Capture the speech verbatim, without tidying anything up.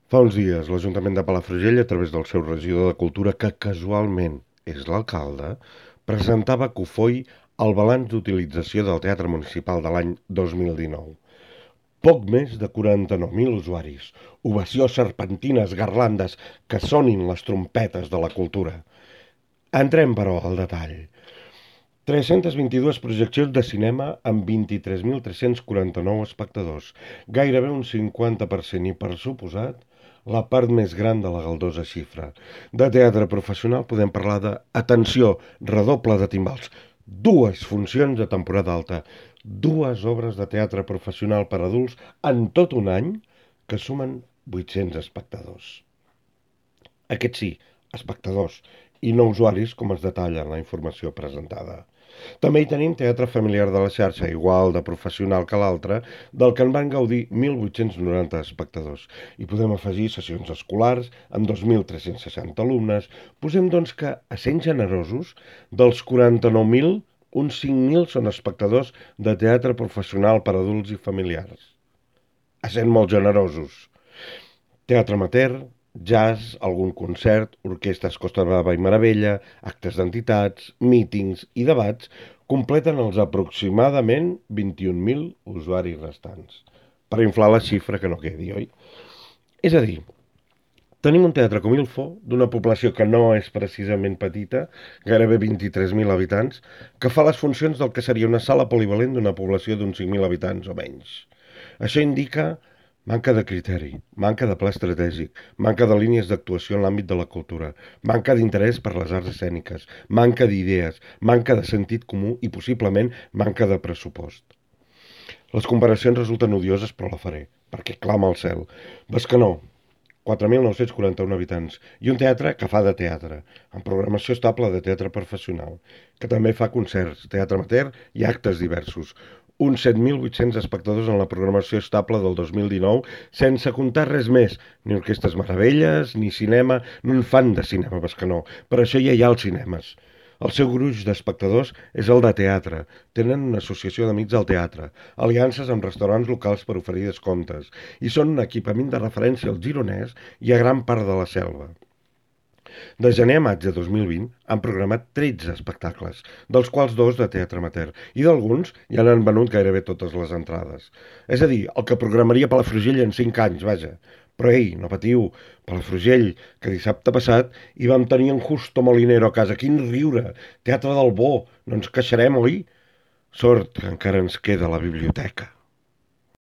Fa uns dies, l'Ajuntament de Palafrugell, a través del seu regidor de Cultura, que casualment és l'alcalde, presentava a Cofoi el balanç d'utilització del Teatre Municipal de l'any dos mil dinou. Poc més de quaranta-nou mil usuaris. Ovació, serpentines, garlandes, que sonin les trompetes de la cultura. Entrem, però, al detall. tres-centes vint-i-dues projeccions de cinema amb vint-i-tres mil tres-cents quaranta-nou espectadors, gairebé un cinquanta per cent i, per suposat, la part més gran de la galdosa xifra. De teatre professional podem parlar de, atenció, redoble de timbals, dues funcions de temporada alta, dues obres de teatre professional per adults en tot un any que sumen vuit-cents espectadors. Aquests sí, espectadors, i no usuaris, com es detalla en la informació presentada. També hi tenim teatre familiar de la xarxa, igual de professional que l'altre, del que en van gaudir mil vuit-cents noranta espectadors. I podem afegir sessions escolars amb dos mil tres-cents seixanta alumnes. Posem, doncs, que, a sent generosos, dels quaranta-nou mil, uns cinc mil són espectadors de teatre professional per adults i familiars. A sent molt generosos. Teatre amateur, jazz, algun concert, orquestres Costa Brava i Meravella, actes d'entitats, mítings i debats completen els aproximadament vint-i-un mil usuaris restants. Per inflar la xifra que no quedi, oi? És a dir, tenim un teatre com Ilfo, d'una població que no és precisament petita, gairebé vint-i-tres mil habitants, que fa les funcions del que seria una sala polivalent d'una població d'uns cinc mil habitants o menys. Això indica manca de criteri, manca de pla estratègic, manca de línies d'actuació en l'àmbit de la cultura, manca d'interès per les arts escèniques, manca d'idees, manca de sentit comú i possiblement manca de pressupost. Les comparacions resulten odioses, però la faré, perquè clama al cel. Bescanó, quatre mil nou-cents quaranta-un habitants, i un teatre que fa de teatre, amb programació estable de teatre professional, que també fa concerts, teatre amateur i actes diversos. Uns set mil vuit-cents espectadors en la programació estable del dos mil dinou, sense comptar res més, ni orquestes meravelles, ni cinema, no en fan de cinema Bescanó, per això ja hi ha els cinemes. El seu gruix d'espectadors és el de teatre. Tenen una associació d'amics del teatre, aliances amb restaurants locals per oferir descomptes, i són un equipament de referència al Gironès i a gran part de la Selva. De gener a maig de dos mil vint han programat tretze espectacles, dels quals dos de teatre amateur, i d'alguns ja n'han venut gairebé totes les entrades. És a dir, el que programaria Palafrugell en cinc anys, vaja. Però ei, no patiu, Palafrugell, que dissabte passat hi vam tenir en Justo Molinero a casa. Quin riure! Teatre del bo! No ens queixarem, oi? Sort que encara ens queda la biblioteca.